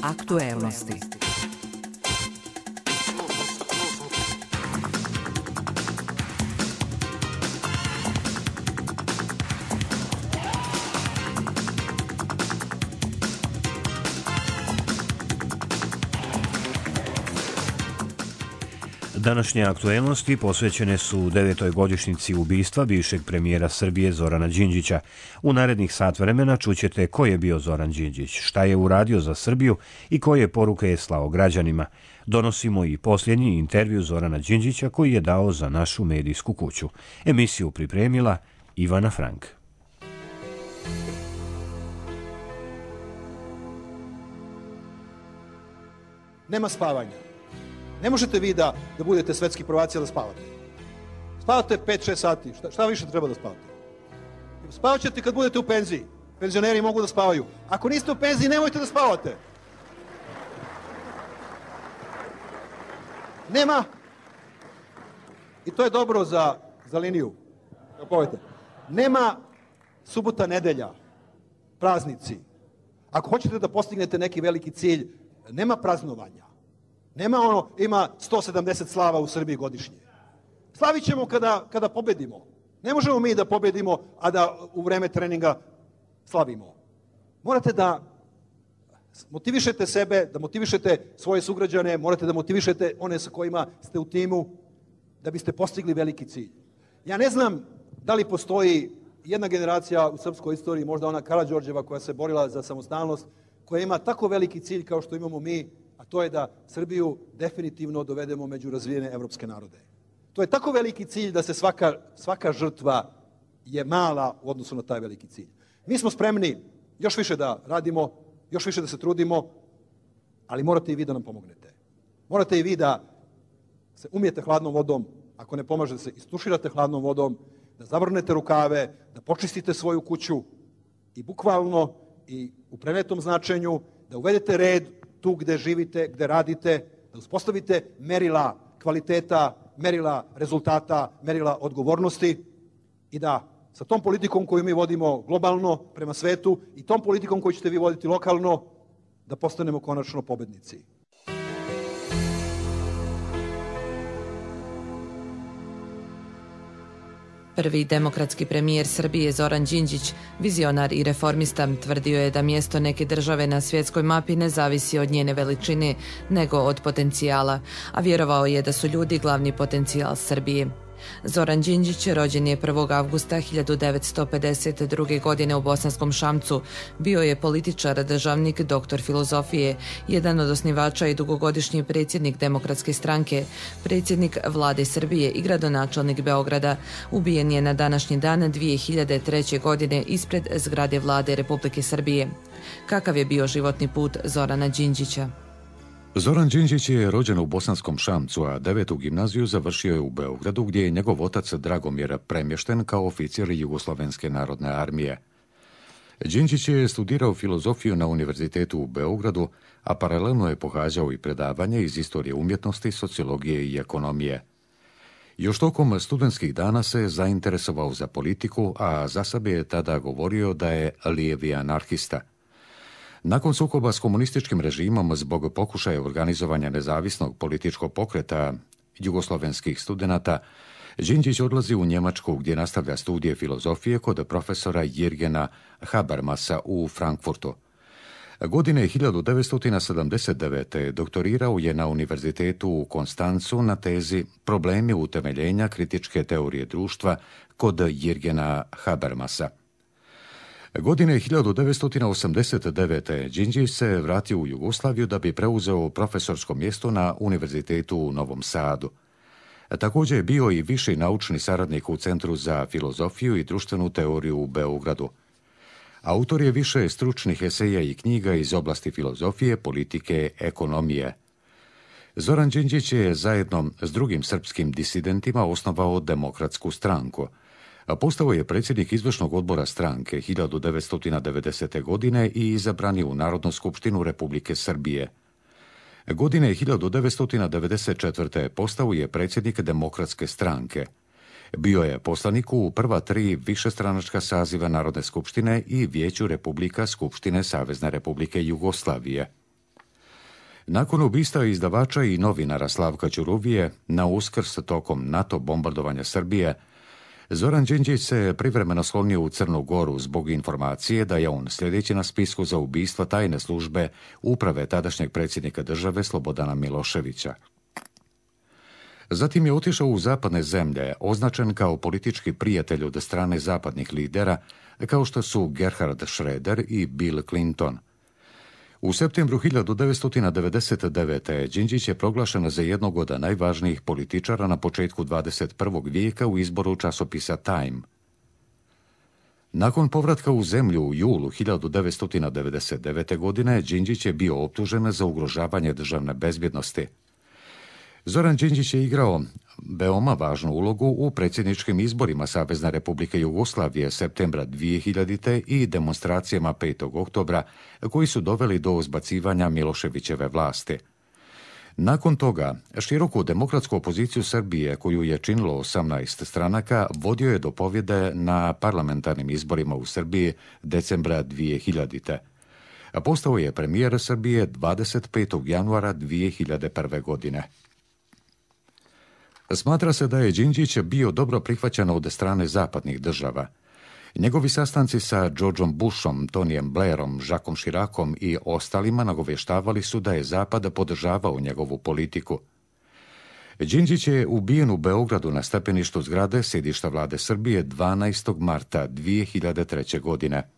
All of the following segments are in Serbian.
Aktuelnosti. Današnje aktuelnosti posvećene su 9. godišnjici ubistva bivšeg premijera Srbije Zorana Đinđića. U narednih sat vremena čućete ko je bio Zoran Đinđić, šta je uradio za Srbiju i koje poruke je slao građanima. Donosimo i posljednji intervju Zorana Đinđića koji je dao za našu medijsku kuću. Emisiju pripremila Ivana Frank. Nema spavanja. Ne možete vi da budete svetski prvaci da spavate. Spavate 5-6 sati. Šta više treba da spavate? Spavat ćete kad budete u penziji. Penzioneri mogu da spavaju. Ako niste u penziji, nemojte da spavate. Nema. I to je dobro za liniju. Nema subota, nedelja, praznici. Ako hoćete da postignete neki veliki cilj, nema praznovanja. Nema ima 170 slava u Srbiji godišnje. Slavit ćemo kada pobedimo. Ne možemo mi da pobedimo, a da u vreme treninga slavimo. Morate da motivišete sebe, da motivišete svoje sugrađane, morate da motivišete one sa kojima ste u timu, da biste postigli veliki cilj. Ja ne znam da li postoji jedna generacija u srpskoj istoriji, možda ona Karađorđeva koja se borila za samostalnost, koja ima tako veliki cilj kao što imamo mi, a to je da Srbiju definitivno dovedemo među razvijene evropske narode. To je tako veliki cilj da se svaka žrtva je mala u odnosu na taj veliki cilj. Mi smo spremni još više da radimo, još više da se trudimo, ali morate i vi da nam pomognete. Morate i vi da se umijete hladnom vodom, ako ne pomaže da se istuširate hladnom vodom, da zavrnete rukave, da počistite svoju kuću i bukvalno i u prenetom značenju da uvedete red tu gde živite, gde radite, da uspostavite merila kvaliteta, merila rezultata, merila odgovornosti i da sa tom politikom koju mi vodimo globalno prema svetu i tom politikom koju ćete vi voditi lokalno, da postanemo konačno pobednici. Prvi demokratski premijer Srbije Zoran Đinđić, vizionar i reformista, tvrdio je da mjesto neke države na svjetskoj mapi ne zavisi od njene veličine, nego od potencijala, a vjerovao je da su ljudi glavni potencijal Srbije. Zoran Đinđić rođen je 1. avgusta 1952. godine u Bosanskom Šamcu. Bio je političar, državnik, doktor filozofije, jedan od osnivača i dugogodišnji predsjednik Demokratske stranke, predsjednik vlade Srbije i gradonačelnik Beograda. Ubijen je na današnji dan 2003. godine ispred zgrade vlade Republike Srbije. Kakav je bio životni put Zorana Đinđića? Zoran Đinđić je rođen u Bosanskom Šamcu, a 9. gimnaziju završio je u Beogradu, gdje je njegov otac Dragomir premješten kao oficir Jugoslovenske narodne armije. Đinđić je studirao filozofiju na Univerzitetu u Beogradu, a paralelno je pohađao i predavanje iz istorije umjetnosti, sociologije i ekonomije. Još tokom studentskih dana se zainteresovao za politiku, a za sebe je tada govorio da je lijevi anarhista. Nakon sukoba s komunističkim režimom zbog pokušaja organizovanja nezavisnog političkog pokreta jugoslovenskih studenata, Đinđić odlazi u Njemačku gdje nastavlja studije filozofije kod profesora Jirgena Habermasa u Frankfurtu. Godine 1979. doktorirao je na Univerzitetu u Konstancu na tezi Problemi utemeljenja kritičke teorije društva kod Jirgena Habermasa. Godine 1989. Đinđić se vratio u Jugoslaviju da bi preuzeo profesorsko mjesto na Univerzitetu u Novom Sadu. Također je bio i viši naučni saradnik u Centru za filozofiju i društvenu teoriju u Beogradu. Autor je više stručnih eseja i knjiga iz oblasti filozofije, politike, ekonomije. Zoran Đinđić je zajedno s drugim srpskim disidentima osnovao Demokratsku stranku. Postao je predsjednik izvršnog odbora stranke 1990. godine i izabran je u Narodnu skupštinu Republike Srbije. Godine 1994. postao je predsjednik Demokratske stranke. Bio je poslanik u prva 3 višestranačka saziva Narodne skupštine i Vijeću Republika Skupštine Savezne Republike Jugoslavije. Nakon ubistva izdavača i novinara Slavka Ćuruvije na Uskrs tokom NATO bombardovanja Srbije, Zoran Đinđić se privremeno sklonio u Crnu Goru zbog informacije da je on sljedeći na spisku za ubistva tajne službe uprave tadašnjeg predsjednika države Slobodana Miloševića. Zatim je otišao u zapadne zemlje, označen kao politički prijatelj od strane zapadnih lidera, kao što su Gerhard Schröder i Bill Clinton. U septembru 1999. Đinđić je proglašen za jednog od najvažnijih političara na početku 21. vijeka u izboru časopisa Time. Nakon povratka u zemlju u julu 1999. godine, Đinđić je bio optužen za ugrožavanje državne bezbjednosti. Zoran Đinđić je igrao veoma važnu ulogu u predsjedničkim izborima Savezne Republike Jugoslavije septembra 2000. i demonstracijama 5. oktobra koji su doveli do zbacivanja Miloševićeve vlasti. Nakon toga, široku demokratsku opoziciju Srbije, koju je činilo 18 stranaka, vodio je do pobjede na parlamentarnim izborima u Srbiji decembra 2000. Postao je premijer Srbije 25. januara 2001. godine. Smatra se da je Đinđić bio dobro prihvaćen od strane zapadnih država. Njegovi sastanci sa Georgeom Bushom, Tonyjem Blairom, Jacquesom Chiracom i ostalima nagovještavali su da je Zapad podržavao njegovu politiku. Đinđić je ubijen u Beogradu na stepeništu zgrade sjedišta vlade Srbije 12. marta 2003. godine.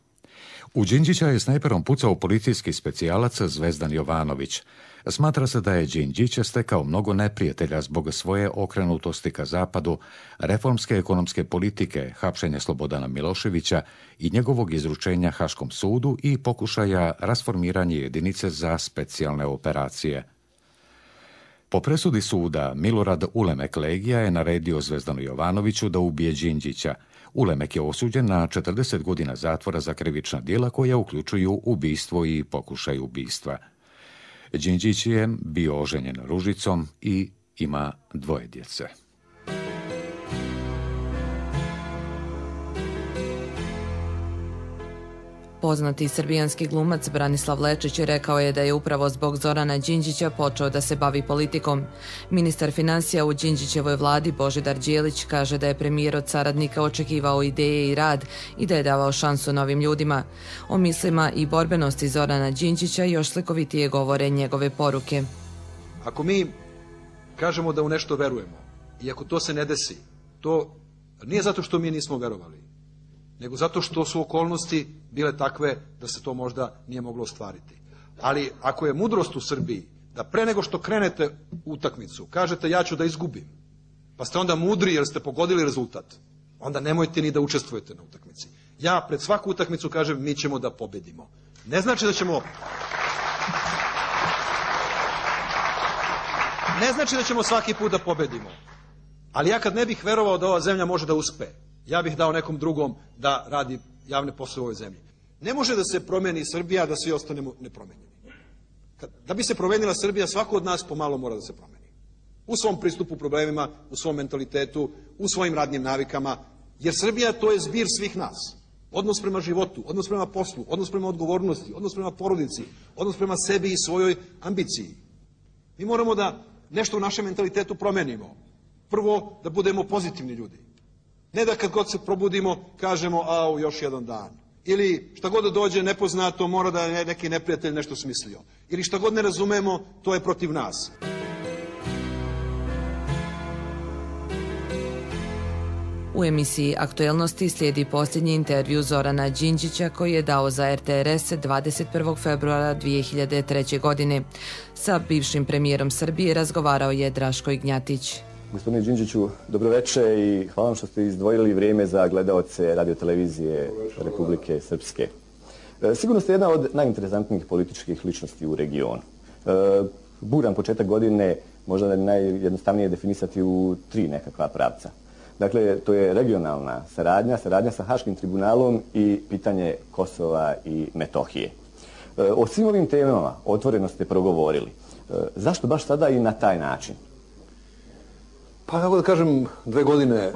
U Đinđića je snajperom pucao policijski specijalac Zvezdan Jovanović. Smatra se da je Đinđić stekao mnogo neprijatelja zbog svoje okrenutosti ka zapadu, reformske ekonomske politike, hapšenja Slobodana Miloševića i njegovog izručenja Haškom sudu i pokušaja rasformiranja jedinice za specijalne operacije. Po presudi suda, Milorad Ulemek Legija je naredio Zvezdanu Jovanoviću da ubije Đinđića. Ulemek je osuđen na 40 godina zatvora za krivična djela koja uključuju ubistvo i pokušaj ubistva. Đinđić je bio oženjen Ružicom i ima 2 djece. Poznati srbijanski glumac Branislav Lečić rekao je da je upravo zbog Zorana Đinđića počeo da se bavi politikom. Ministar financija u Đinđićevoj vladi Božidar Đelić kaže da je premijer od saradnika očekivao ideje i rad i da je davao šansu novim ljudima. O mislima i borbenosti Zorana Đinđića još slikovitije govore njegove poruke. Ako mi kažemo da u nešto verujemo i ako to se ne desi, to nije zato što mi nismo verovali, nego zato što su okolnosti bile takve da se to možda nije moglo ostvariti. Ali ako je mudrost u Srbiji da pre nego što krenete u utakmicu kažete ja ću da izgubim, pa ste onda mudri jer ste pogodili rezultat, onda nemojte ni da učestvujete na utakmici. Ja pred svaku utakmicu kažem mi ćemo da pobedimo. Ne znači da ćemo svaki put da pobedimo. Ali ja kad ne bih verovao da ova zemlja može da uspe, ja bih dao nekom drugom da radi javne poslove u ovoj zemlji. Ne može da se promeni Srbija, da svi ostanemo nepromenjeni. Da bi se promenila Srbija, svako od nas pomalo mora da se promeni. U svom pristupu problemima, u svom mentalitetu, u svojim radnim navikama, jer Srbija to je zbir svih nas. Odnos prema životu, odnos prema poslu, odnos prema odgovornosti, odnos prema porodici, odnos prema sebi i svojoj ambiciji. Mi moramo da nešto u našem mentalitetu promenimo. Prvo, da budemo pozitivni ljudi. Ne da kad god se probudimo kažemo au još jedan dan. Ili šta god da dođe nepoznato mora da je neki neprijatelj nešto smislio. Ili šta god ne razumemo to je protiv nas. U emisiji Aktuelnosti slijedi posljednji intervju Zorana Đinđića koji je dao za RTRS 21. februara 2003. godine. Sa bivšim premijerom Srbije razgovarao je Draško Ignjatić. Gospodine Đinđiću, dobroveče i hvala vam što ste izdvojili vrijeme za gledaoce radiotelevizije Republike Srpske. Sigurno ste jedna od najinteresantnijih političkih ličnosti u regionu. Buran početak godine možda je najjednostavnije definisati u 3 nekakva pravca. Dakle, to je regionalna saradnja sa Haškim tribunalom i pitanje Kosova i Metohije. O svim ovim temama otvoreno ste progovorili. Zašto baš sada i na taj način? Pa kako da kažem, 2 godine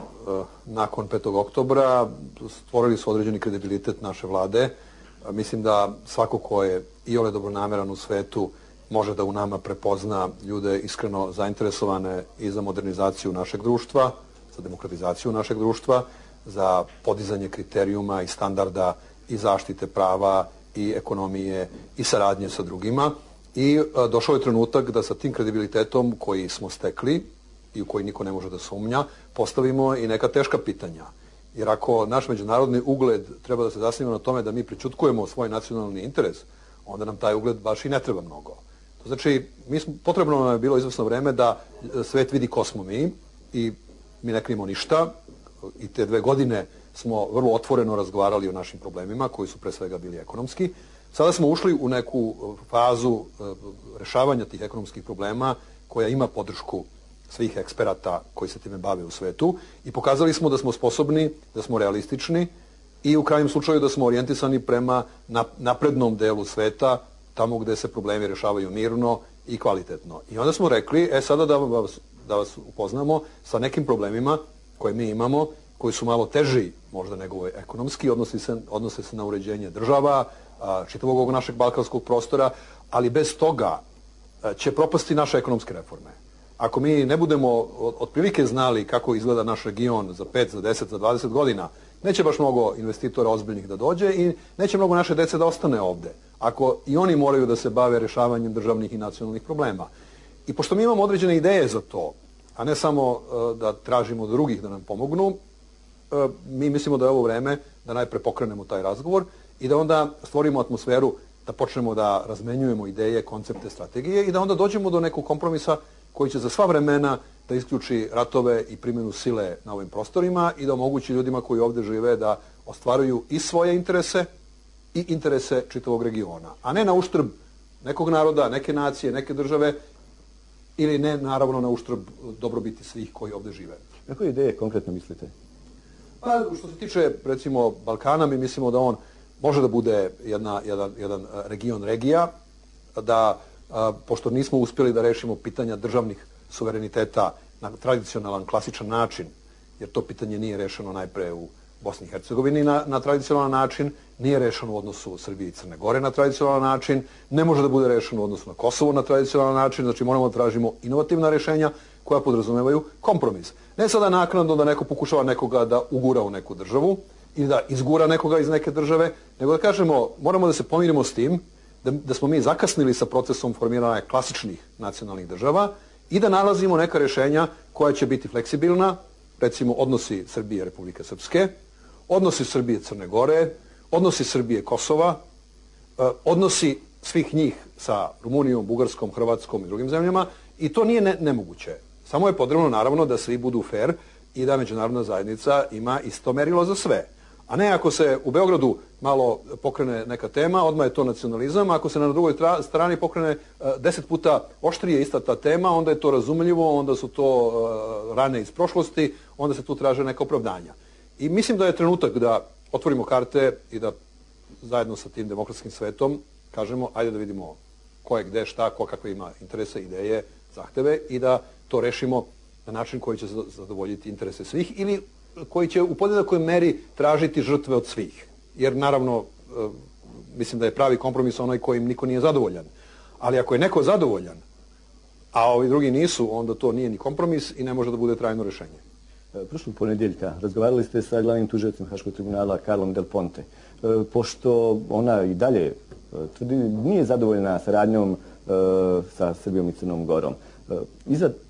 nakon 5. oktobra stvorili su određeni kredibilitet naše vlade. Mislim da svako ko je iole dobronameran u svetu može da u nama prepozna ljude iskreno zainteresovane i za modernizaciju našeg društva, za demokratizaciju našeg društva, za podizanje kriterijuma i standarda i zaštite prava i ekonomije i saradnje sa drugima. I došao je trenutak da sa tim kredibilitetom koji smo stekli i u koji niko ne može da sumnja, postavimo i neka teška pitanja. Jer ako naš međunarodni ugled treba da se zasniva na tome da mi prećutkujemo svoj nacionalni interes, onda nam taj ugled baš i ne treba mnogo. To znači, potrebno nam je bilo izvesno vreme da svet vidi ko smo mi i mi ne krijemo ništa. I te 2 godine smo vrlo otvoreno razgovarali o našim problemima, koji su pre svega bili ekonomski. Sada smo ušli u neku fazu rešavanja tih ekonomskih problema koja ima podršku svih eksperata koji se time bave u svetu i pokazali smo da smo sposobni, da smo realistični i u krajnjem slučaju da smo orijentisani prema naprednom delu sveta, tamo gde se problemi rešavaju mirno i kvalitetno. I onda smo rekli, sada da vas upoznamo sa nekim problemima koje mi imamo, koji su malo teži možda nego ekonomski, odnose se na uređenje država, čitavog ovog našeg balkanskog prostora, ali bez toga će propasti naše ekonomske reforme. Ako mi ne budemo otprilike znali kako izgleda naš region za 5, za 10, za 20 godina, neće baš mnogo investitora ozbiljnih da dođe i neće mnogo naše dece da ostane ovde. Ako i oni moraju da se bave rešavanjem državnih i nacionalnih problema. I pošto mi imamo određene ideje za to, a ne samo da tražimo od drugih da nam pomognu, mi mislimo da je ovo vreme da najpre pokrenemo taj razgovor i da onda stvorimo atmosferu da počnemo da razmenjujemo ideje, koncepte, strategije i da onda dođemo do nekog kompromisa koji će za sva vremena da isključi ratove i primjenu sile na ovim prostorima i da omogući ljudima koji ovde žive da ostvaruju i svoje interese i interese čitavog regiona, a ne na uštrb nekog naroda, neke nacije, neke države ili ne, naravno, na uštrb dobrobiti svih koji ovde žive. Na koje ideje konkretno mislite? Pa, što se tiče, recimo, Balkana, mi mislimo da on može da bude jedan region regija, da, pošto nismo uspjeli da rešimo pitanja državnih suvereniteta na tradicionalan, klasičan način, jer to pitanje nije rešeno najpre u Bosni i Hercegovini na tradicionalan način, nije rešeno u odnosu Srbije i Crne Gore na tradicionalan način, ne može da bude rešeno u odnosu na Kosovo na tradicionalan način, znači moramo da tražimo inovativna rešenja koja podrazumevaju kompromis. Ne sada naknadno da neko pokušava nekoga da ugura u neku državu ili da izgura nekoga iz neke države, nego da kažemo moramo da se pomirimo s tim da smo mi zakasnili sa procesom formiranja klasičnih nacionalnih država i da nalazimo neka rešenja koja će biti fleksibilna, recimo odnosi Srbije i Republike Srpske, odnosi Srbije i Crne Gore, odnosi Srbije i Kosova, odnosi svih njih sa Rumunijom, Bugarskom, Hrvatskom i drugim zemljama i to nije nemoguće. Samo je potrebno naravno da svi budu fair i da međunarodna zajednica ima isto merilo za sve. A ne ako se u Beogradu malo pokrene neka tema, odmah je to nacionalizam, ako se na drugoj strani pokrene 10 puta oštrije ista ta tema, onda je to razumljivo, onda su to rane iz prošlosti, onda se tu traže neka opravdanja. I mislim da je trenutak da otvorimo karte i da zajedno sa tim demokratskim svetom kažemo ajde da vidimo ko je gde, šta, ko kakve ima interese, ideje, zahteve i da to rešimo na način koji će zadovoljiti interese svih ili koji će u podjednakoj meri tražiti žrtve od svih. Jer naravno, mislim da je pravi kompromis onaj kojim niko nije zadovoljan. Ali ako je neko zadovoljan, a ovi drugi nisu, onda to nije ni kompromis i ne može da bude trajno rešenje. Prošlog ponedjeljka razgovarali ste sa glavnim tužiocem Haškog tribunala Carlom Del Ponte. Pošto ona i dalje tvrdi nije zadovoljna saradnjom sa Srbijom i Crnom Gorom.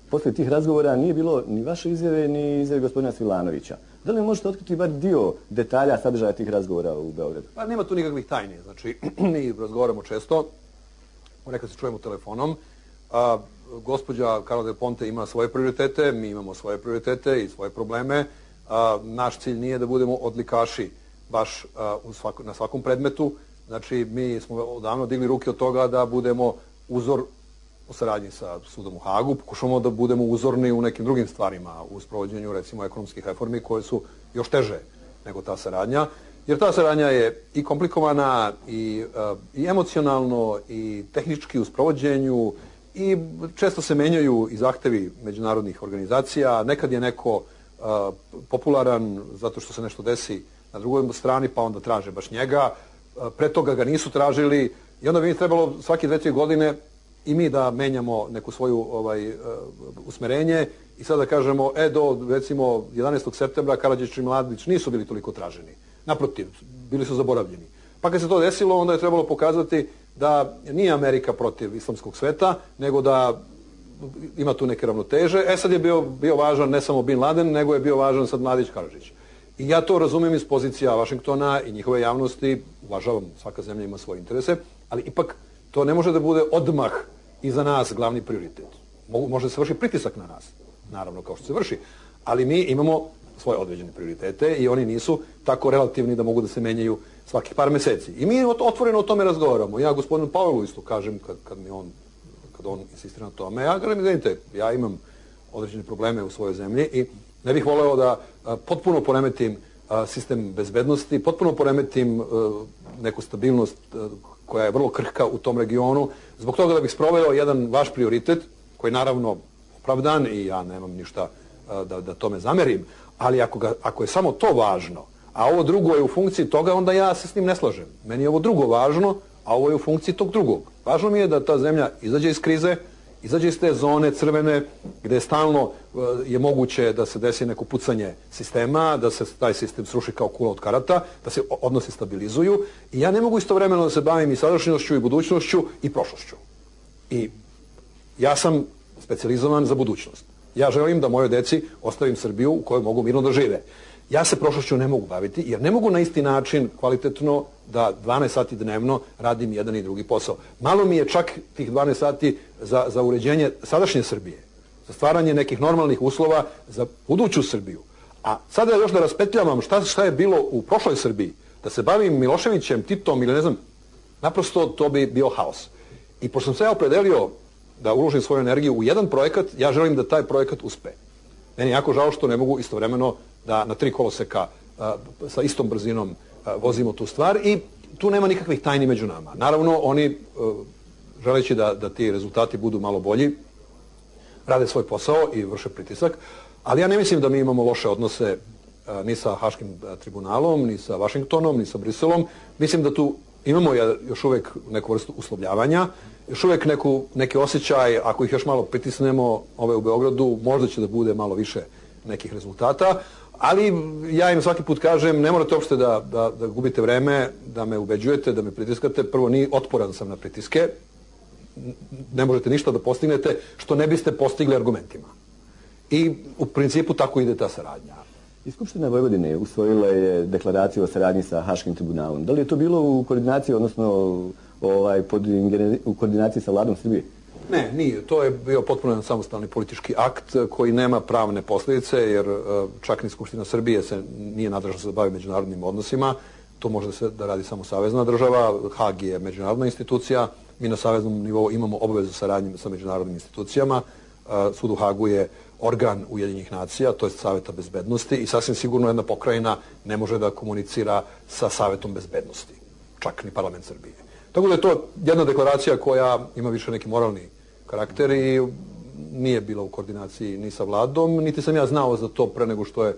Poslije tih razgovora nije bilo ni vaše izjave, ni izjave gospodina Svilanovića. Da li možete otkriti bar dio detalja sadržaja tih razgovora u Beogradu? Pa nema tu nikakvih tajni. Znači, mi razgovaramo često, nekad se čujemo telefonom. Gospođa Carla Del Ponte ima svoje prioritete, mi imamo svoje prioritete i svoje probleme. Naš cilj nije da budemo odlikaši baš na svakom predmetu. Znači, mi smo odavno digli ruke od toga da budemo uzor u saradnji sa sudom u Hagu, pokušamo da budemo uzorni u nekim drugim stvarima, u sprovođenju recimo ekonomskih reformi koje su još teže nego ta saradnja, jer ta saradnja je i komplikovana i emocionalno i tehnički u sprovođenju i često se menjaju i zahtevi međunarodnih organizacija, nekad je neko popularan zato što se nešto desi na drugoj strani pa onda traže baš njega, pre toga ga nisu tražili i onda bi mi trebalo svake 2-3 godine i mi da menjamo neku svoju usmerenje i sada kažemo, do recimo 11. septembra Karađić i Mladić nisu bili toliko traženi. Naprotiv, bili su zaboravljeni. Pa kad se to desilo, onda je trebalo pokazati da nije Amerika protiv islamskog sveta, nego da ima tu neke ravnoteže. Sad je bio važan ne samo Bin Laden, nego je bio važan sad Mladić Karađić. I ja to razumijem iz pozicija Vašingtona i njihove javnosti. Uvažavam, svaka zemlja ima svoje interese, ali ipak to ne može da bude odmah i za nas glavni prioritet. Može se vrši pritisak na nas, naravno kao što se vrši, ali mi imamo svoje određene prioritete i oni nisu tako relativni da mogu da se menjaju svakih par meseci. I mi otvoreno o tome razgovaramo. Ja gospodinu Pavelu isto kažem kad on insistira na tome, ja kažem, izvinite, ja imam određene probleme u svojoj zemlji i ne bih voleo da potpuno poremetim sistem bezbednosti, potpuno poremetim neku stabilnost koja je vrlo krhka u tom regionu, zbog toga da bih sproveo jedan vaš prioritet, koji je naravno opravdan i ja nemam ništa da tome zamerim, ali ako je samo to važno, a ovo drugo je u funkciji toga, onda ja se s njim ne slažem. Meni je ovo drugo važno, a ovo je u funkciji tog drugog. Važno mi je da ta zemlja izađe iz krize, izađe iz te zone crvene gdje stalno je moguće da se desi neko pucanje sistema, da se taj sistem sruši kao kula od karata, da se odnosi stabilizuju i ja ne mogu istovremeno da se bavim i sadašnjošću i budućnošću i prošlošću. I ja sam specijalizovan za budućnost. Ja želim da mojoj deci ostavim Srbiju u kojoj mogu mirno da žive. Ja se prošlošću ne mogu baviti jer ne mogu na isti način kvalitetno da 12 sati dnevno radim jedan i drugi posao. Malo mi je čak tih 12 sati za uređenje sadašnje Srbije, za stvaranje nekih normalnih uslova za buduću Srbiju. A sada još da raspetljavam šta je bilo u prošloj Srbiji, da se bavim Miloševićem, Titom ili ne znam, naprosto to bi bio haos. I pošto sam se ja opredelio da uložim svoju energiju u jedan projekat, ja želim da taj projekat uspe. Meni je jako žao što ne mogu istovremeno da na 3 koloseka sa istom brzinom vozimo tu stvar i tu nema nikakvih tajni među nama. Naravno, oni, želeći da ti rezultati budu malo bolji, rade svoj posao i vrše pritisak, ali ja ne mislim da mi imamo loše odnose ni sa Haškim tribunalom, ni sa Vašingtonom, ni sa Briselom. Mislim da tu imamo još uvijek neku vrstu uslovljavanja, još uvijek neki osjećaj, ako ih još malo pritisnemo ove u Beogradu, možda će da bude malo više nekih rezultata, ali ja im svaki put kažem, ne morate uopšte da gubite vreme, da me ubeđujete, da me pritiskate. Prvo, otporan sam na pritiske, ne možete ništa da postignete što ne biste postigli argumentima. I u principu tako ide ta saradnja. I Skupština Vojvodine usvojila je deklaraciju o saradnji sa Haškim tribunalom. Da li je to bilo u koordinaciji, odnosno u koordinaciji sa vladom Srbije? Ne, nije. To je bio potpuno jedan samostalni politički akt koji nema pravne posljedice, jer čak ni Skupština Srbije se nije nadležna da se bavi međunarodnim odnosima. To može da radi samo savezna država. Hag je međunarodna institucija. Mi na saveznom nivou imamo obavezu saradnje sa međunarodnim institucijama. Sud u Hagu je organ Ujedinjenih nacija, to je Saveta bezbednosti i sasvim sigurno jedna pokrajina ne može da komunicira sa Savetom bezbednosti. Čak ni parlament Srbije. Tako da je to jedna deklaracija koja ima više neki moralni karakter i nije bila u koordinaciji ni sa vladom, niti sam ja znao za to pre nego što je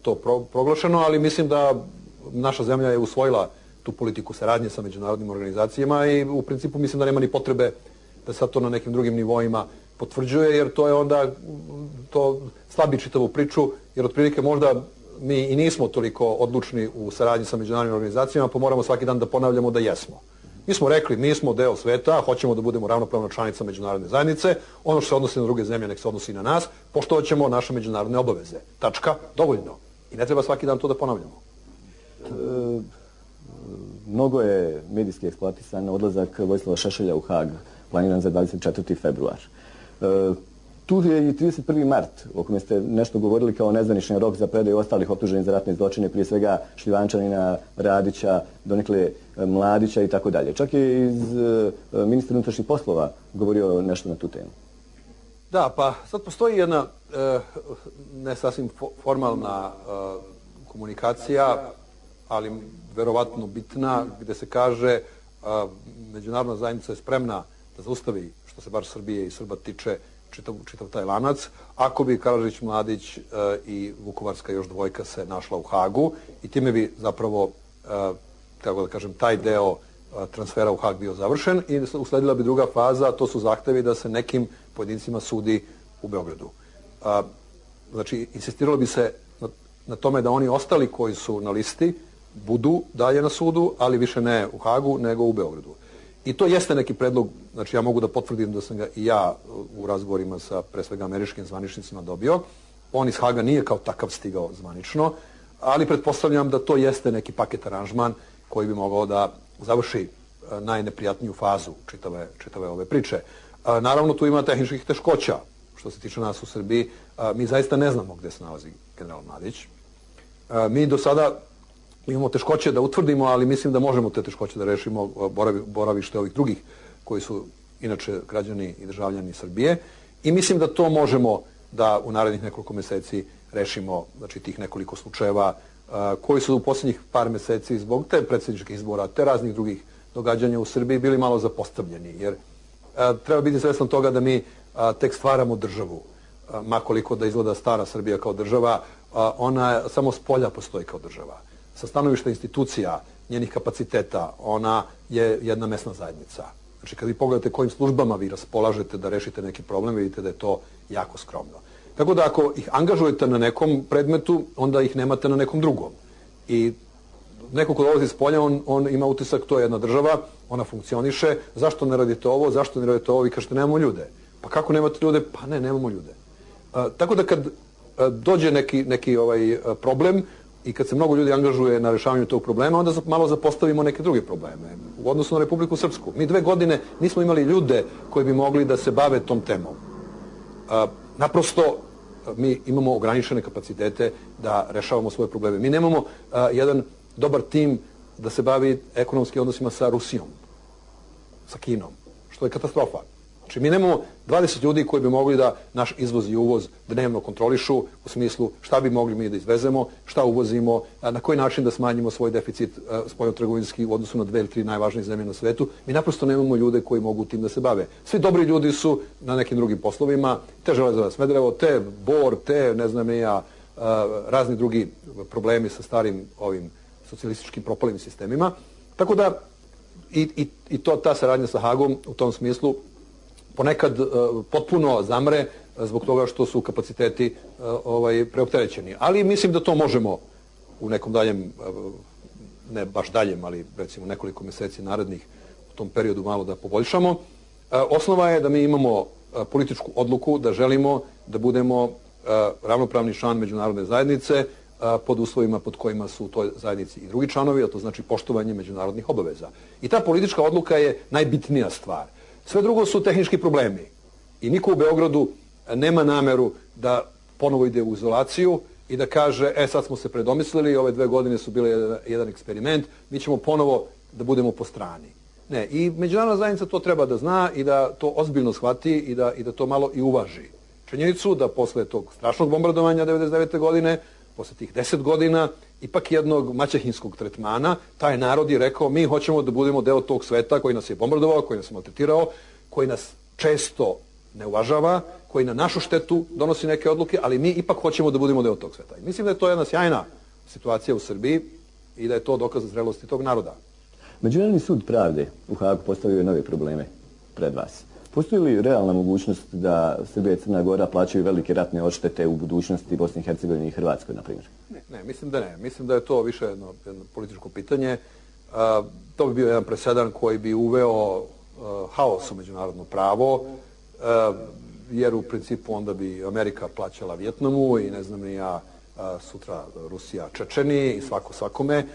to proglašeno, ali mislim da naša zemlja je usvojila tu politiku saradnje sa međunarodnim organizacijama i u principu mislim da nema ni potrebe da sad to na nekim drugim nivoima potvrđuje, jer to je onda, to slabi čitavu priču, jer otprilike možda mi i nismo toliko odlučni u saradnji sa međunarodnim organizacijama, pa moramo svaki dan da ponavljamo da jesmo. Mi smo rekli, mi smo deo sveta, hoćemo da budemo ravnopravna članica međunarodne zajednice, ono što se odnosi na druge zemlje, nek se odnosi i na nas, poštovat ćemo naše međunarodne obaveze. Tačka, dovoljno. I ne treba svaki dan to da ponavljamo. Mnogo je medijski eksploatisan odlazak Vojislava Šešelja u Hag, planiran za 24. februar. Tu je i 31. mart, o kome ste nešto govorili kao nezvanični rok za predaju ostalih optuženih za ratne zločine, prije svega Šljivančanina, Radića, donekle Mladića i tako dalje. Čak je iz ministra unutrašnjih poslova govorio nešto na tu temu. Da, pa sad postoji jedna ne sasvim formalna komunikacija, ali verovatno bitna, gde se kaže međunarodna zajednica je spremna da zaustavi, što se bar Srbije i Srba tiče, čitav taj lanac, ako bi Karađić, Mladić i Vukovarska još dvojka se našla u Hagu i time bi zapravo, kako da kažem, taj deo transfera u Hag bio završen i usledila bi druga faza, a to su zahtevi da se nekim pojedincima sudi u Beogradu. Znači, insistiralo bi se na tome da oni ostali koji su na listi budu dalje na sudu, ali više ne u Hagu, nego u Beogradu. I to jeste neki predlog, znači ja mogu da potvrdim da sam ga i ja u razgovorima sa pre svega američkim zvaničnicima dobio. On iz Haga nije kao takav stigao zvanično, ali pretpostavljam da to jeste neki paket aranžman koji bi mogao da završi najneprijatniju fazu čitave ove priče. Naravno, tu ima tehničkih teškoća. Što se tiče nas u Srbiji, mi zaista ne znamo gde se nalazi general Mladić. Mi do sada imamo teškoće da utvrdimo, ali mislim da možemo te teškoće da rešimo boravište ovih drugih koji su inače građani i državljani Srbije. I mislim da to možemo da u narednih nekoliko meseci rešimo, znači tih nekoliko slučajeva koji su u posljednjih par meseci zbog te predsjedničkih izbora, te raznih drugih događanja u Srbiji bili malo zapostavljeni. Jer treba biti svestan toga da mi tek stvaramo državu. Makoliko da izgleda stara Srbija kao država, ona samo s polja postoji kao država. Sa stanovišta institucija, njenih kapaciteta, ona je jedna mesna zajednica. Znači, kad vi pogledate kojim službama vi raspolažete da rešite neki problem, vidite da je to jako skromno. Tako da ako ih angažujete na nekom predmetu, onda ih nemate na nekom drugom. I neko ko dolazi s polja, on ima utisak, to je jedna država, ona funkcioniše, zašto ne radite ovo, zašto ne radite ovo, vi kažete nemamo ljude. Pa kako nemate ljude? Pa ne, nemamo ljude. Tako da kad dođe neki problem i kad se mnogo ljudi angažuje na rešavanju tog problema, onda malo zapostavimo neke druge probleme. U odnosu na Republiku Srpsku. Mi 2 godine nismo imali ljude koji bi mogli da se bave tom temom. Naprosto, mi imamo ograničene kapacitete da rešavamo svoje probleme. Mi nemamo jedan dobar tim da se bavi ekonomskim odnosima sa Rusijom, sa Kinom, što je katastrofa. Znači, mi nemamo 20 ljudi koji bi mogli da naš izvoz i uvoz dnevno kontrolišu u smislu šta bi mogli mi da izvezemo, šta uvozimo, na koji način da smanjimo svoj deficit spoljnotrgovinski u odnosu na 2 ili 3 najvažnije zemlje na svetu. Mi naprosto nemamo ljude koji mogu tim da se bave. Svi dobri ljudi su na nekim drugim poslovima, te Železara Smederevo, te Bor, te ne znam ja, razni drugi problemi sa starim ovim socijalističkim propalim sistemima. Tako da i ta saradnja sa Hagom u tom smislu ponekad potpuno zamre zbog toga što su kapaciteti preopterećeni. Ali mislim da to možemo u nekom daljem, ne baš daljem, ali recimo nekoliko meseci narednih u tom periodu malo da poboljšamo. Osnova je da mi imamo političku odluku da želimo da budemo ravnopravni član međunarodne zajednice pod uslovima pod kojima su u toj zajednici i drugi članovi, a to znači poštovanje međunarodnih obaveza. I ta politička odluka je najbitnija stvar. Sve drugo su tehnički problemi. I niko u Beogradu nema nameru da ponovo ide u izolaciju i da kaže, sad smo se predomislili, ove 2 godine su bile jedan eksperiment, mi ćemo ponovo da budemo po strani. Ne, i međunarodna zajednica to treba da zna i da to ozbiljno shvati i da to malo i uvaži. Činjenicu da posle tog strašnog bombardovanja 1999. godine, posle tih 10 godina, ipak jednog maćehinskog tretmana, taj narod je rekao, mi hoćemo da budemo deo tog sveta koji nas je bombardovao, koji nas je maltretirao, koji nas često ne uvažava, koji na našu štetu donosi neke odluke, ali mi ipak hoćemo da budemo deo tog sveta. I mislim da je to jedna sjajna situacija u Srbiji i da je to dokaz zrelosti tog naroda. Međunarodni sud pravde u Hagu postavio nove probleme pred vas. Postoji li realna mogućnost da Srbija i Crna Gora plaćaju velike ratne odštete u budućnosti Bosni i Hercegovini i Hrvatskoj, na primjer? Ne, mislim da ne. Mislim da je to više jedno političko pitanje. To bi bio jedan presedan koji bi uveo haos u međunarodno pravo, jer u principu onda bi Amerika plaćala Vjetnamu i ne znam ni ja sutra Rusija Čečeni i svako svakome,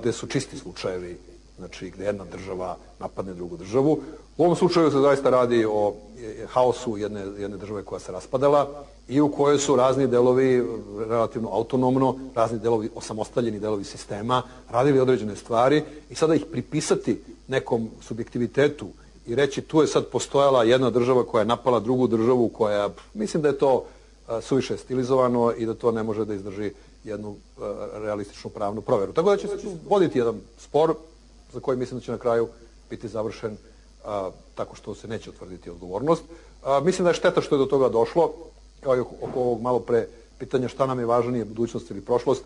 gde su čisti slučajevi, znači gde jedna država napadne drugu državu. U ovom slučaju se zaista radi o haosu jedne države koja se raspadala i u kojoj su razni delovi relativno autonomno, razni delovi, osamostaljeni delovi sistema, radili određene stvari i sada ih pripisati nekom subjektivitetu i reći tu je sad postojala jedna država koja je napala drugu državu koja, mislim da je to suviše stilizovano i da to ne može da izdrži jednu realističnu pravnu proveru. Tako da će se tu voditi jedan spor za koji mislim da će na kraju biti završen tako što se neće utvrditi odgovornost. Mislim da je šteta što je do toga došlo, kao i oko ovog malo pre pitanja šta nam je važnije, budućnost ili prošlost.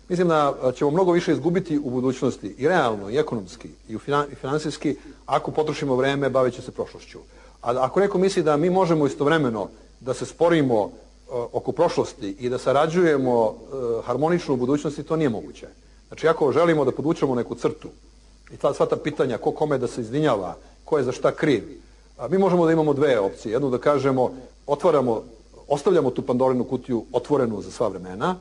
Mislim da ćemo mnogo više izgubiti u budućnosti i realno, i ekonomski, i finansijski, ako potrošimo vreme baveći se prošlošću. A ako neko misli da mi možemo istovremeno da se sporimo oko prošlosti i da sarađujemo harmonično u budućnosti, to nije moguće. Znači, ako želimo da podvučemo neku crtu i sva ta pitanja ko kome da se izvinjava, ko je za šta kriv, mi možemo da imamo dve opcije. Jednu da kažemo, ostavljamo tu Pandorinu kutiju otvorenu za sva vremena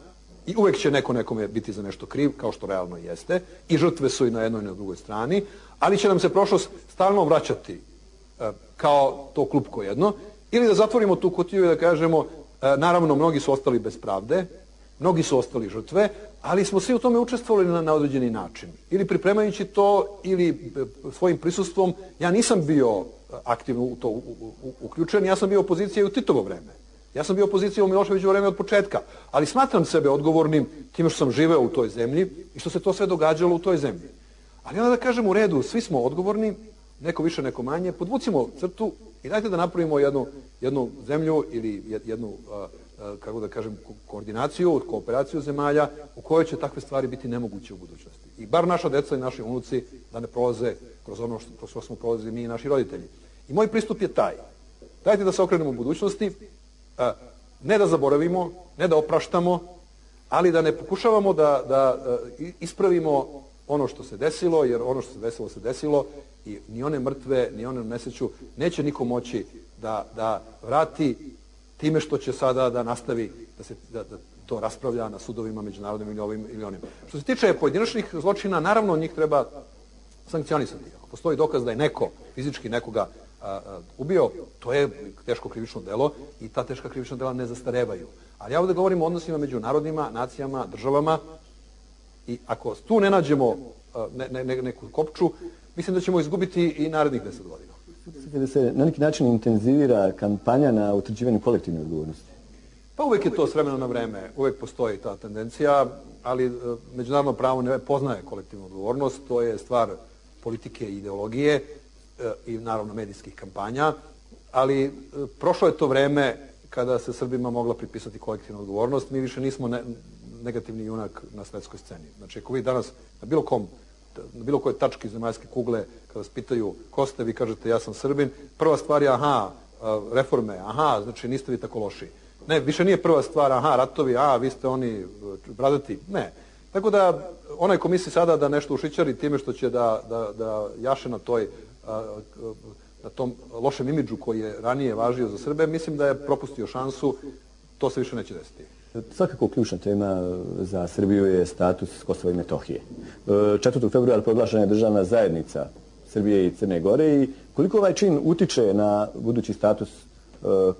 i uvek će neko nekome biti za nešto kriv, kao što realno jeste, i žrtve su i na jednoj i na drugoj strani, ali će nam se prošlost stalno vraćati kao to klupko jedno, ili da zatvorimo tu kutiju i da kažemo, naravno, mnogi su ostali bez pravde, mnogi su ostali žrtve, ali smo svi u tome učestvovali na određeni način. Ili pripremajući to, ili svojim prisustvom. Ja nisam bio aktivno u to uključen, ja sam bio opozicija i u Titovo vreme. Ja sam bio opozicija u Miloševićevo vreme od početka, ali smatram sebe odgovornim time što sam živeo u toj zemlji i što se to sve događalo u toj zemlji. Ali onda da kažem, u redu, svi smo odgovorni, neko više, neko manje, podvucimo crtu i dajte da napravimo jednu zemlju ili jednu, kako da kažem, koordinaciju, kooperaciju zemalja u kojoj će takve stvari biti nemoguće u budućnosti. I bar naša deca i naši unuci da ne prolaze kroz ono što smo prolazili mi i naši roditelji. I moj pristup je taj. Dajte da se okrenemo u budućnosti, ne da zaboravimo, ne da opraštamo, ali da ne pokušavamo da ispravimo ono što se desilo, jer ono što se desilo se desilo i ni one mrtve, ni one nesreću neće niko moći da vrati time što će sada da nastavi da to raspravlja na sudovima međunarodnim ili ovim ili onim. Što se tiče pojedinačnih zločina, naravno njih treba sankcionisati. Ako postoji dokaz da je neko fizički nekoga ubio, to je teško krivično delo i ta teška krivična dela ne zastarevaju. Ali ja ovdje govorim o odnosima među narodima, nacijama, državama i ako tu ne nađemo neku kopču, mislim da ćemo izgubiti i narednih 10 godina. Da se na neki način intenzivira kampanja na utvrđivanju kolektivne odgovornosti? Pa uvek je to s vremena na vreme, uvek postoji ta tendencija, ali međunarodno pravo ne poznaje kolektivnu odgovornost, to je stvar politike i ideologije i naravno medijskih kampanja, ali prošlo je to vreme kada se Srbima mogla pripisati kolektivna odgovornost, mi više nismo negativni junak na svetskoj sceni. Znači, ako vi danas na bilo kojoj tački zemaljske kugle, kada vas pitaju ko ste, vi kažete ja sam Srbin, prva stvar je reforme, znači niste vi tako loši. Ne, više nije prva stvar, ratovi, vi ste oni bradati, ne. Tako da, onaj ko misli sada da nešto ušićari time što će da jaše na tom lošem imidžu koji je ranije važio za Srbe, mislim da je propustio šansu, to se više neće desiti. Svakako ključna tema za Srbiju je status Kosova i Metohije. 4. februara proglašena je državna zajednica Srbije i Crne Gore i koliko ovaj čin utiče na budući status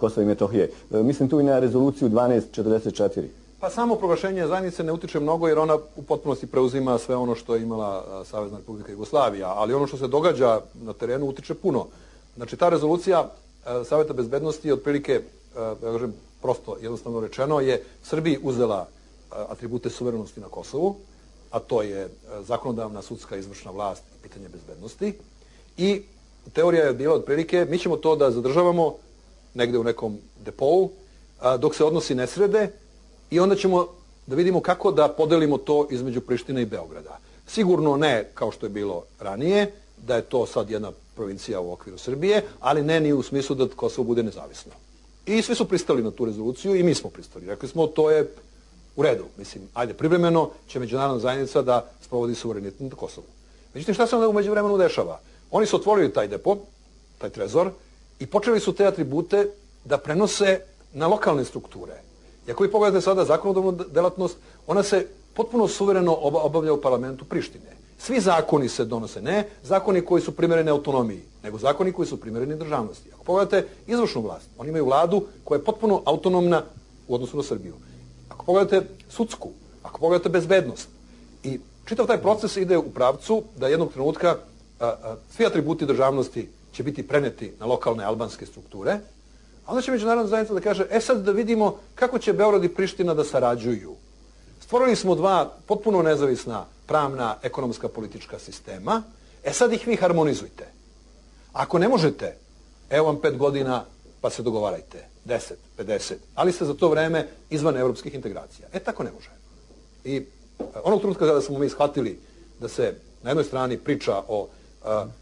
Kosova i Metohije? Mislim tu i na rezoluciju 1244. Pa samo proglašenje zajednice ne utiče mnogo jer ona u potpunosti preuzima sve ono što je imala Savezna Republika Jugoslavija, ali ono što se događa na terenu utiče puno. Znači ta rezolucija Saveta bezbednosti je otprilike, ja kažem, prosto jednostavno rečeno, je Srbiji uzela atribute suverenosti na Kosovu, a to je zakonodavna, sudska, izvršna vlast i pitanje bezbednosti. I teorija je bila otprilike, mi ćemo to da zadržavamo negde u nekom depou, dok se odnosi ne srede i onda ćemo da vidimo kako da podelimo to između Prištine i Beograda. Sigurno ne kao što je bilo ranije, da je to sad jedna provincija u okviru Srbije, ali ne ni u smislu da Kosovo bude nezavisno. I svi su pristali na tu rezoluciju i mi smo pristali. Rekli smo, to je u redu. Mislim, ajde, privremeno će međunarodna zajednica da sprovodi suverenitet na Kosovu. Međutim, šta se onda umeđu vremenu dešava? Oni su otvorili taj depo, taj trezor, i počeli su te atribute da prenose na lokalne strukture. I ako vi pogledate sada zakonodavnu delatnost, ona se potpuno suvereno obavlja u parlamentu Prištine. Svi zakoni se donose, ne zakoni koji su primereni autonomiji, nego zakoni koji su primereni državnosti. Ako pogledate izvršnu vlast, oni imaju vladu koja je potpuno autonomna u odnosu na Srbiju. Ako pogledate sudsku, ako pogledate bezbednost. I čitav taj proces ide u pravcu da jednog trenutka svi atributi državnosti će biti preneti na lokalne albanske strukture, a onda će međunarodna zajednica da kaže, sad da vidimo kako će Beograd i Priština da sarađuju. Stvorili smo dva potpuno nezavisna pravna, ekonomska, politička sistema, sad ih vi harmonizujte. Ako ne možete, evo vam 5 godina pa se dogovarajte, 10, 50, ali ste za to vreme izvan evropskih integracija. Tako ne može. I Onog trenutka kada smo mi shvatili da se na jednoj strani priča o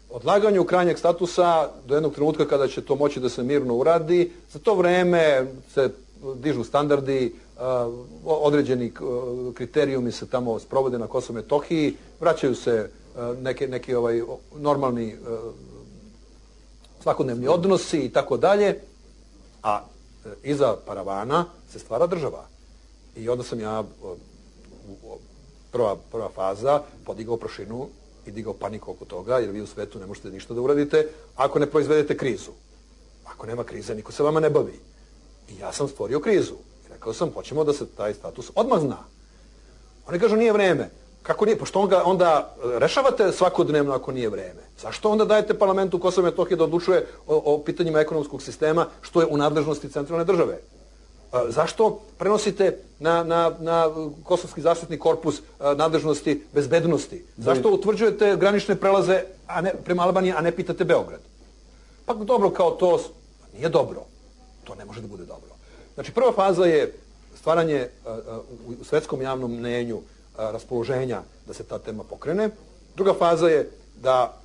odlaganju krajnjeg statusa do jednog trenutka kada će to moći da se mirno uradi, za to vreme se dižu standardi, određeni kriterijumi se tamo sprovode na Kosovu i Metohiji, vraćaju se neki normalni svakodnevni odnosi i tako dalje, a iza paravana se stvara država. I onda sam ja, prva faza, podigao prašinu i digao paniku oko toga, jer vi u svetu ne možete ništa da uradite ako ne proizvedete krizu. Ako nema krize, niko se vama ne bavi. I ja sam stvorio krizu. I rekao sam, hoćemo da se taj status odmah zna. Oni kažu, nije vreme. Kako nije? Pošto onda rešavate svakodnevno ako nije vreme. Zašto onda dajete parlamentu Kosova i Metohije da odlučuje o pitanjima ekonomskog sistema, što je u nadležnosti centralne države? Zašto prenosite na Kosovski zaštitni korpus nadležnosti bezbednosti? Zašto utvrđujete granične prelaze prema Albaniji, a ne pitate Beograd? Pa dobro, kao to nije dobro. To ne može da bude dobro. Znači, prva faza je stvaranje u svetskom javnom mnenju raspoloženja da se ta tema pokrene. Druga faza je da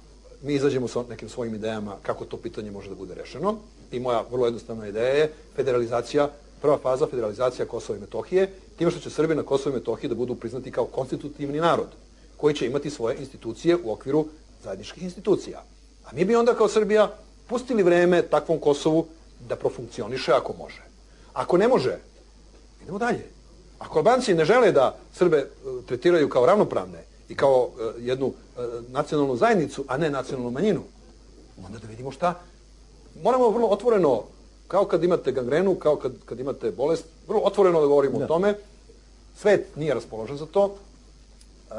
mi izađemo sa nekim svojim idejama kako to pitanje može da bude rešeno. I moja vrlo jednostavna ideja je federalizacija, prva faza federalizacija Kosova i Metohije, time što će Srbi na Kosovu i Metohiji da budu priznati kao konstitutivni narod, koji će imati svoje institucije u okviru zajedničkih institucija. A mi bi onda kao Srbija pustili vreme takvom Kosovu da profunkcioniše ako može. Ako ne može, idemo dalje. Ako Albanci ne žele da Srbe tretiraju kao ravnopravne i kao jednu nacionalnu zajednicu, a ne nacionalnu manjinu, onda da vidimo šta. Moramo vrlo otvoreno, kao kad imate gangrenu, kao kad imate bolest, vrlo otvoreno da govorimo o tome. Svet nije raspoložen za to.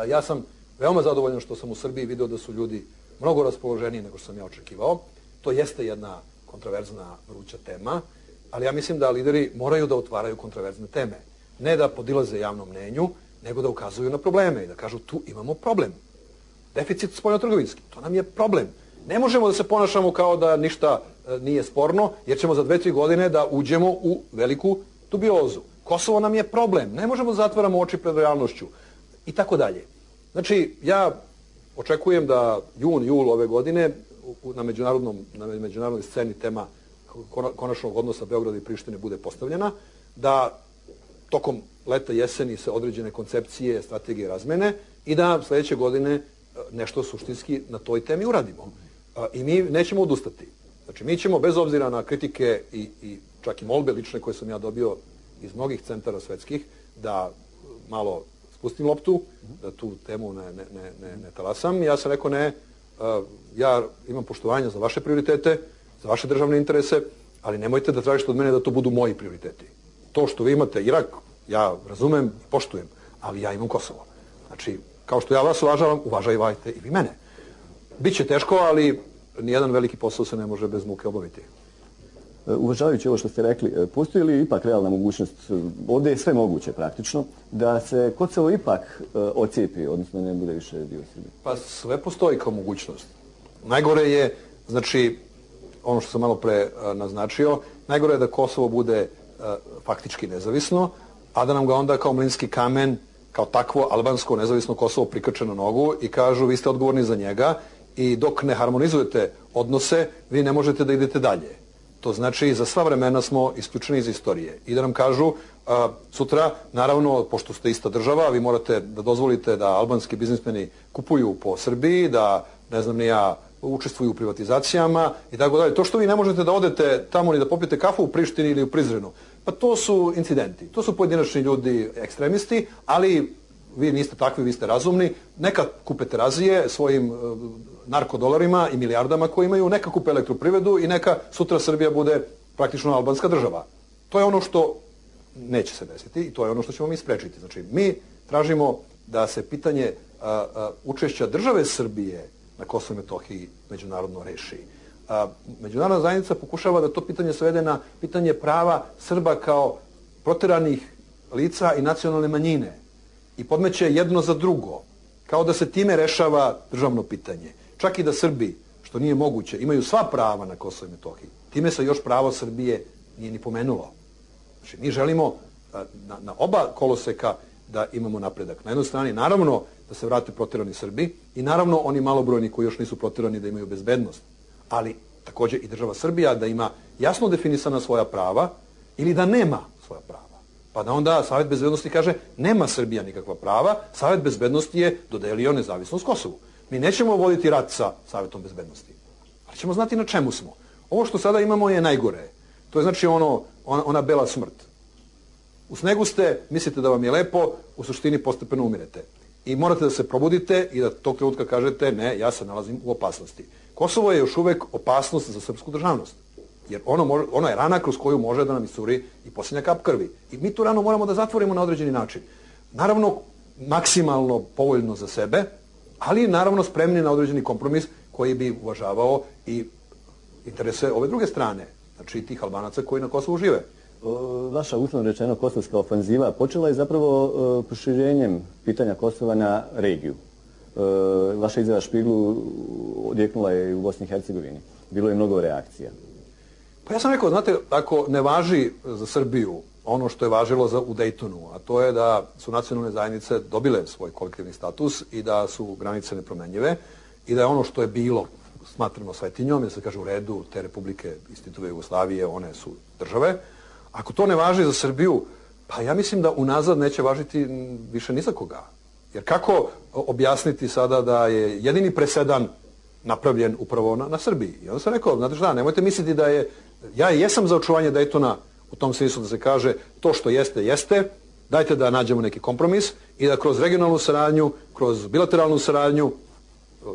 Ja sam veoma zadovoljan što sam u Srbiji video da su ljudi mnogo raspoloženiji nego što sam ja očekivao. To jeste jedna kontroverzna, vruća tema, ali ja mislim da lideri moraju da otvaraju kontroverzne teme. Ne da podilaze javnom mnenju, nego da ukazuju na probleme i da kažu tu imamo problem. Deficit spoljnotrgovinski, to nam je problem. Ne možemo da se ponašamo kao da ništa nije sporno, jer ćemo za 2-3 godine da uđemo u veliku dubiozu. Kosovo nam je problem, ne možemo da zatvaramo oči pred realnošću i tako dalje. Znači, ja očekujem da jul ove godine na međunarodnoj sceni tema konačnog odnosa Beograda i Prištine bude postavljena, da tokom leta, jeseni se određene koncepcije, strategije razmene i da sledeće godine nešto suštinski na toj temi uradimo. I mi nećemo odustati. Znači, mi ćemo, bez obzira na kritike i čak i molbe lične koje sam ja dobio iz mnogih centara svetskih, da malo spustim loptu, da tu temu ne talasam. Ja sam rekao ne, ja imam poštovanja za vaše prioritete, za vaše državne interese, ali nemojte da tražite od mene da to budu moji prioriteti. To što vi imate Irak, ja razumem i poštujem, ali ja imam Kosovo. Znači, kao što ja vas uvažavam, uvažajte i vi mene. Biće teško, ali nijedan veliki posao se ne može bez muke obaviti. Uvažavajući ovo što ste rekli, postoji li ipak realna mogućnost, ovdje je sve moguće praktično, da se Kosovo ipak ocijepi, odnosno ne bude više dio Srbije? Pa sve postoji kao mogućnost. Najgore je, znači, ono što sam malo pre naznačio, najgore je da Kosovo bude faktički nezavisno, a da nam ga onda kao mlinski kamen, kao takvo albansko nezavisno Kosovo prikače na nogu i kažu vi ste odgovorni za njega i dok ne harmonizujete odnose, vi ne možete da idete dalje. To znači za sva vremena smo isključeni iz istorije. I da nam kažu sutra, naravno, pošto ste ista država, vi morate da dozvolite da albanski biznismeni kupuju po Srbiji, da, ne znam ni ja, učestvuju u privatizacijama i tako dalje. To što vi ne možete da odete tamo ni da popijete kafu u Prištini ili u Prizrenu, pa to su incidenti. To su pojedinačni ljudi, ekstremisti, ali vi niste takvi, vi ste razumni. Neka kupe Terazije svojim narkodolarima i milijardama koje imaju, neka kupe elektroprivredu i neka sutra Srbija bude praktično albanska država. To je ono što neće se desiti i to je ono što ćemo mi sprečiti. Znači, mi tražimo da se pitanje učešća države Srbije na Kosovo i Metohiji međunarodno reši. Međunarodna zajednica pokušava da to pitanje svede na pitanje prava Srba kao proteranih lica i nacionalne manjine i podmeće jedno za drugo, kao da se time rešava državno pitanje. Čak i da Srbi, što nije moguće, imaju sva prava na Kosovo i Metohiji, time se još pravo Srbije nije ni pomenulo. Znači, mi želimo na oba koloseka da imamo napredak. Na jednoj strani, naravno, da se vrate proterani Srbi i naravno oni malobrojni koji još nisu proterani da imaju bezbednost, ali također i država Srbija da ima jasno definisana svoja prava ili da nema svoja prava. Pa da onda Savet bezbednosti kaže nema Srbija nikakva prava, Savet bezbednosti je dodelio nezavisnost Kosovu. Mi nećemo voditi rat sa Savetom bezbednosti, ali ćemo znati na čemu smo. Ovo što sada imamo je najgore. To je znači ona bela smrt. U snegu ste, mislite da vam je lepo, u suštini postepeno umirete. I morate da se probudite i da tog trenutka kažete ne, ja se nalazim u opasnosti. Kosovo je još uvek opasnost za srpsku državnost. Jer ono je rana kroz koju može da nam iscuri i posljednja kap krvi. I mi tu ranu moramo da zatvorimo na određeni način. Naravno, maksimalno povoljno za sebe, ali naravno spremni na određeni kompromis koji bi uvažavao i interese ove druge strane. Znači tih Albanaca koji na Kosovu žive. Vaša uslovno rečeno kosovska ofanziva počela je zapravo proširenjem pitanja Kosova na regiju. Vaša izjava Špiglu odjeknula je i u Bosni i Hercegovini. Bilo je mnogo reakcija. Pa ja sam rekao, znate, ako ne važi za Srbiju ono što je važilo u Dejtonu, a to je da su nacionalne zajednice dobile svoj kolektivni status i da su granice nepromenjive i da je ono što je bilo smatrano svetinjom, da se kaže u redu, te republike iz Titove Jugoslavije, one su države. Ako to ne važi za Srbiju, pa ja mislim da unazad neće važiti više ni za koga. Jer kako objasniti sada da je jedini presedan napravljen upravo na Srbiji? I onda sam rekao, znate šta, nemojte misliti da je... Ja jesam za očuvanje Dejtona u tom smislu da se kaže to što jeste, jeste, dajte da nađemo neki kompromis i da kroz regionalnu saradnju, kroz bilateralnu saradnju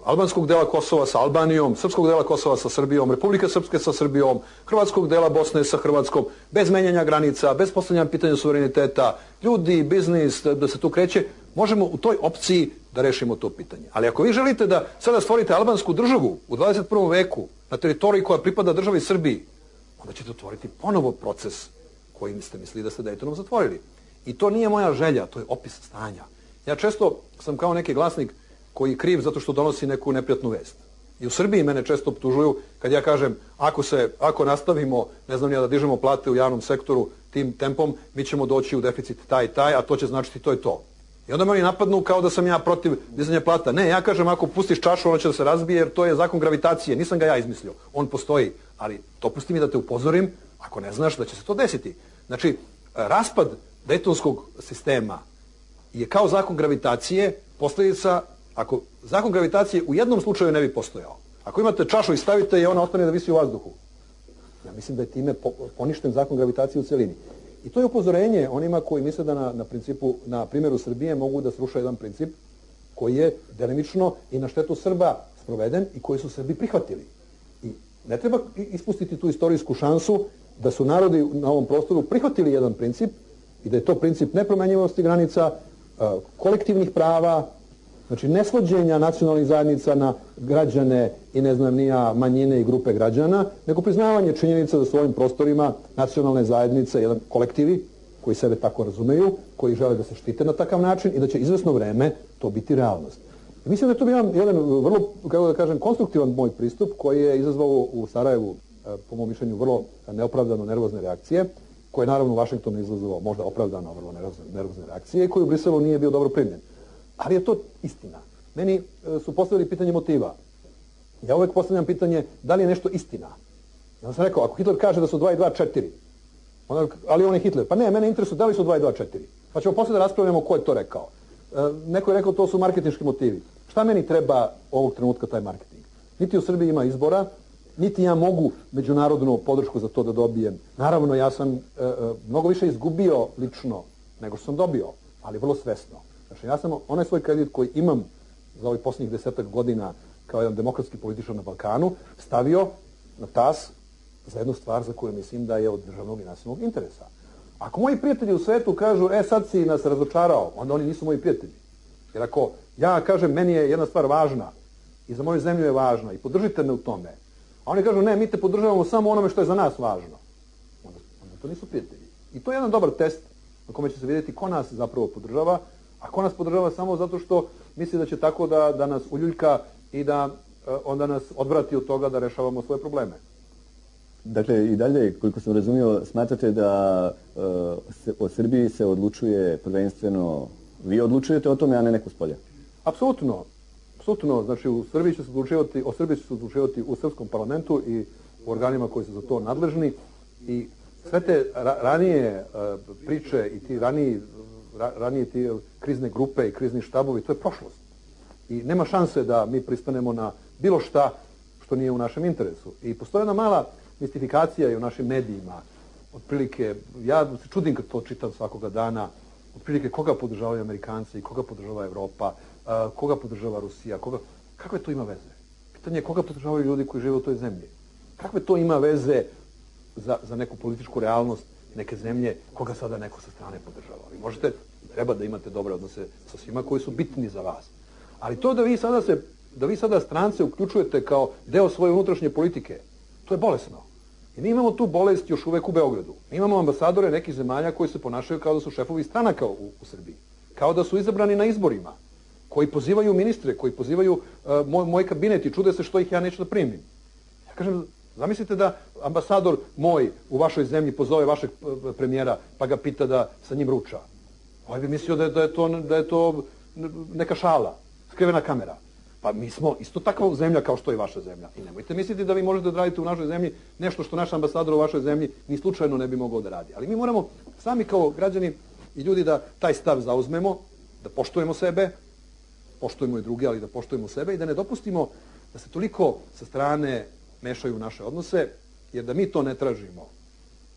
albanskog dela Kosova sa Albanijom, srpskog dela Kosova sa Srbijom, Republike Srpske sa Srbijom, hrvatskog dela Bosne sa Hrvatskom, bez menjanja granica, bez postavljanja pitanja suvereniteta, ljudi, biznis, da se tu kreće, možemo u toj opciji da rešimo to pitanje. Ali ako vi želite da sada stvorite albansku državu u 21. veku na teritoriji koja pripada državi Srbiji, onda ćete otvoriti ponovo proces kojim ste mislili da ste Dejtonom zatvorili. I to nije moja želja, to je opis stanja. Ja često sam kao neki glasnik koji je kriv zato što donosi neku neprijatnu vest. I u Srbiji mene često optužuju kad ja kažem ako nastavimo, ne znam ja, da dižemo plate u javnom sektoru tim tempom, mi ćemo doći u deficit taj i taj, a to će značiti to i to. I onda me oni napadnu kao da sam ja protiv dizanja plata. Ne, ja kažem ako pustiš čašu ona će da se razbije jer to je zakon gravitacije, nisam ga ja izmislio, on postoji. Ali dopusti mi da te upozorim, ako ne znaš da će se to desiti. Znači, raspad dejtonskog sistema je kao zakon gravitacije posljedica. Ako zakon gravitacije u jednom slučaju ne bi postojao, ako imate čašu i stavite je, ona ostane da visi u vazduhu. Ja mislim da je time poništen zakon gravitacije u celini. I to je upozorenje onima koji misle da na primjeru Srbije mogu da sruše jedan princip koji je delimično i na štetu Srba sproveden i koji su Srbi prihvatili. I ne treba ispustiti tu istorijsku šansu da su narodi na ovom prostoru prihvatili jedan princip i da je to princip nepromenjivosti granica, kolektivnih prava, znači nesvođenja nacionalnih zajednica na građane i ne znam nija manjine i grupe građana, nego priznavanje činjenica da su u ovim prostorima nacionalne zajednice, jedan kolektivi koji sebe tako razumeju, koji žele da se štite na takav način i da će izvesno vreme to biti realnost. I mislim da je to bio jedan vrlo, kako da kažem, konstruktivan moj pristup koji je izazvao u Sarajevu, po mom mišljenju, vrlo neopravdano nervozne reakcije, koje je naravno u Vašingtonu izazvao možda opravdano vrlo nervozne reakcije i koji u Briselu nije bio dobro primljen. Ali je to istina. Meni su postavili pitanje motiva. Ja uvek postavljam pitanje da li je nešto istina. Ja sam rekao, ako Hitler kaže da su 2 i 2 4, ali on je Hitler. Pa ne, mene interesuje da li su 2 i 2 4. Pa ćemo poslije da raspravljamo ko je to rekao. Neko je rekao to su marketinški motivi. Šta meni treba ovog trenutka taj marketing? Niti u Srbiji ima izbora, niti ja mogu međunarodnu podršku za to da dobijem. Naravno, ja sam mnogo više izgubio lično nego što sam dobio, ali vrlo svesno. Znači, ja sam onaj svoj kredit koji imam za ovih posljednjih 10 godina kao jedan demokratski političar na Balkanu stavio na tas za jednu stvar za koju mislim da je od državnog i nacionalnog interesa. Ako moji prijatelji u svetu kažu, sad si nas razočarao, onda oni nisu moji prijatelji. Jer ako ja kažem, meni je jedna stvar važna i za moju zemlju je važna i podržite me u tome, a oni kažu, ne, mi te podržavamo samo onome što je za nas važno, onda to nisu prijatelji. I to je jedan dobar test na kome će se vidjeti ko nas zapravo podržava, a ko nas podržava samo zato što misli da će tako da nas uljuljka i da onda nas odvrati od toga da rešavamo svoje probleme. Dakle, i dalje, koliko sam razumio, smatrate da o Srbiji se odlučuje prvenstveno Vi odlučujete o tome, a ne neko s polja. Apsolutno. Znači, o Srbiji će se odlučivati u srpskom parlamentu i u organima koji su za to nadležni. I sve te ranije priče i ti ranije ti krizne grupe i krizni štabovi, to je prošlost. I nema šanse da mi pristanemo na bilo šta što nije u našem interesu. I postoji jedna mala mistifikacija i u našim medijima. Otprilike, ja se čudim kad to čitam svakoga dana, otprilike koga podržavaju Amerikanci, koga podržava Evropa, koga podržava Rusija, kakve to ima veze? Pitanje je koga podržavaju ljudi koji žive u toj zemlji. Kakve to ima veze za neku političku realnost neke zemlje, koga sada neko sa strane podržava. Vi možete, treba da imate dobre odnose sa svima koji su bitni za vas. Ali to da vi sada strance uključujete kao deo svoje unutrašnje politike, to je bolesno. I mi imamo tu bolest još uvek u Beogradu. Mi imamo ambasadore nekih zemalja koji se ponašaju kao da su šefovi stranaka u Srbiji. Kao da su izabrani na izborima. Koji pozivaju ministre, koji pozivaju moj kabinet i čude se što ih ja neću da primim. Ja kažem, zamislite da ambasador moj u vašoj zemlji pozove vašeg premijera pa ga pita da sa njim ruča. Ovaj bi mislio da je to neka šala, skrivena kamera. Pa mi smo isto takva zemlja kao što je vaša zemlja. I nemojte misliti da vi možete da radite u našoj zemlji nešto što naš ambasador u vašoj zemlji ni slučajno ne bi mogao da radi. Ali mi moramo sami kao građani i ljudi da taj stav zauzmemo, da poštujemo sebe, poštujemo i druge, ali da poštujemo sebe i da ne dopustimo da se toliko sa strane mešaju u naše odnose, jer da mi to ne tražimo,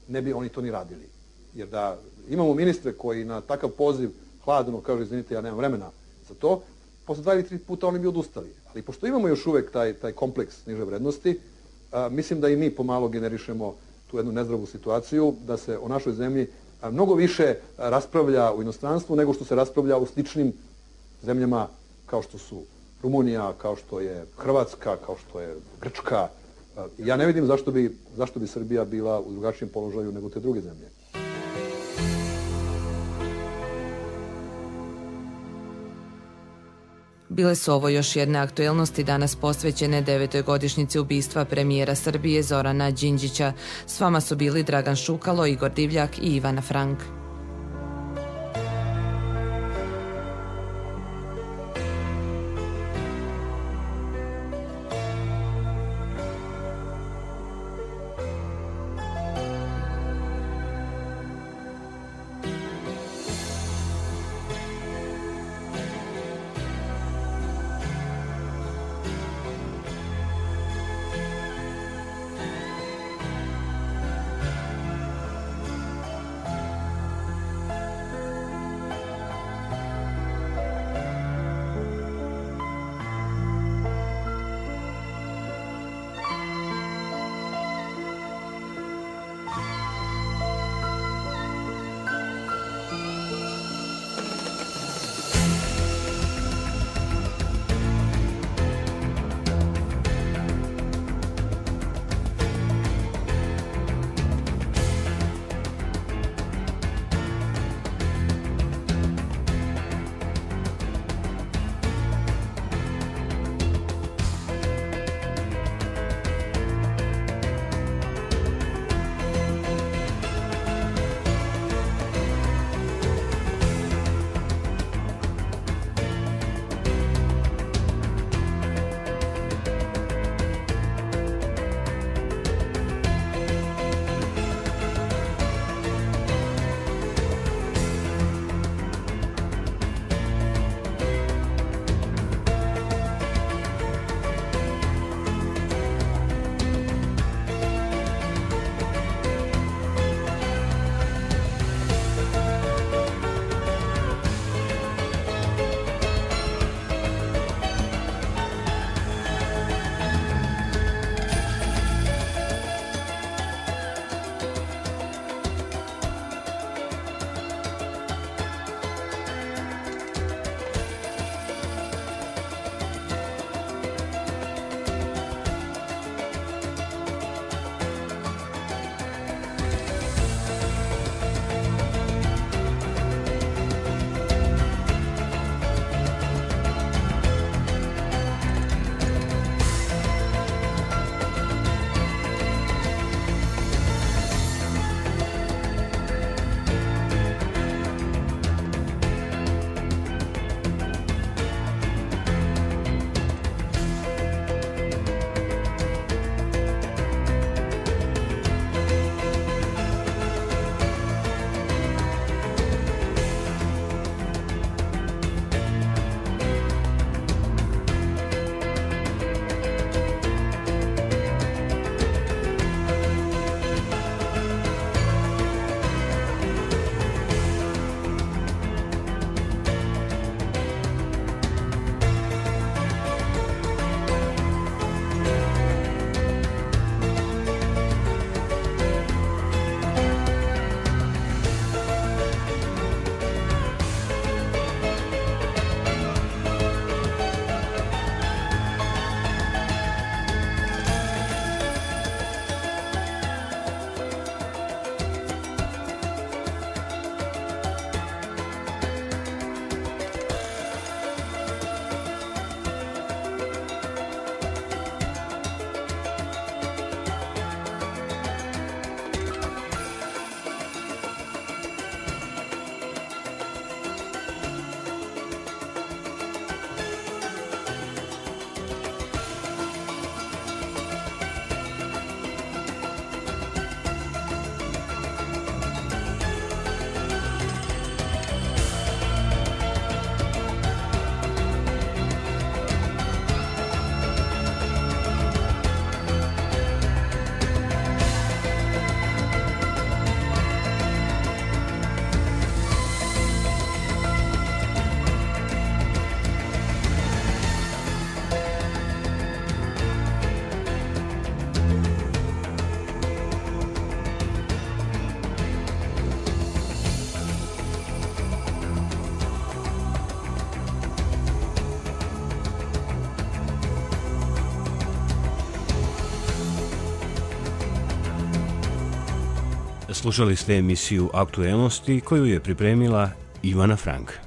ne bi oni to ni radili. Jer da imamo ministre koji na takav poziv hladno kažu, izvinite, ja nemam vremena za to, posle 2 ili 3 puta oni bi odustali. Ali pošto imamo još uvek taj kompleks niže vrednosti, mislim da i mi pomalo generišemo tu jednu nezdravu situaciju, da se o našoj zemlji mnogo više raspravlja u inostranstvu nego što se raspravlja u sličnim zemljama kao što su Rumunija, kao što je Hrvatska, kao što je Grčka. Ja ne vidim zašto bi Srbija bila u drugačijem položaju nego te druge zemlje. Bile su ovo još jedne aktuelnosti danas posvećene 9. godišnjici ubistva premijera Srbije Zorana Đinđića. S vama su bili Dragan Šukalo, Igor Divljak i Ivana Frank. Slušali ste emisiju Aktuelnosti koju je pripremila Ivana Frank.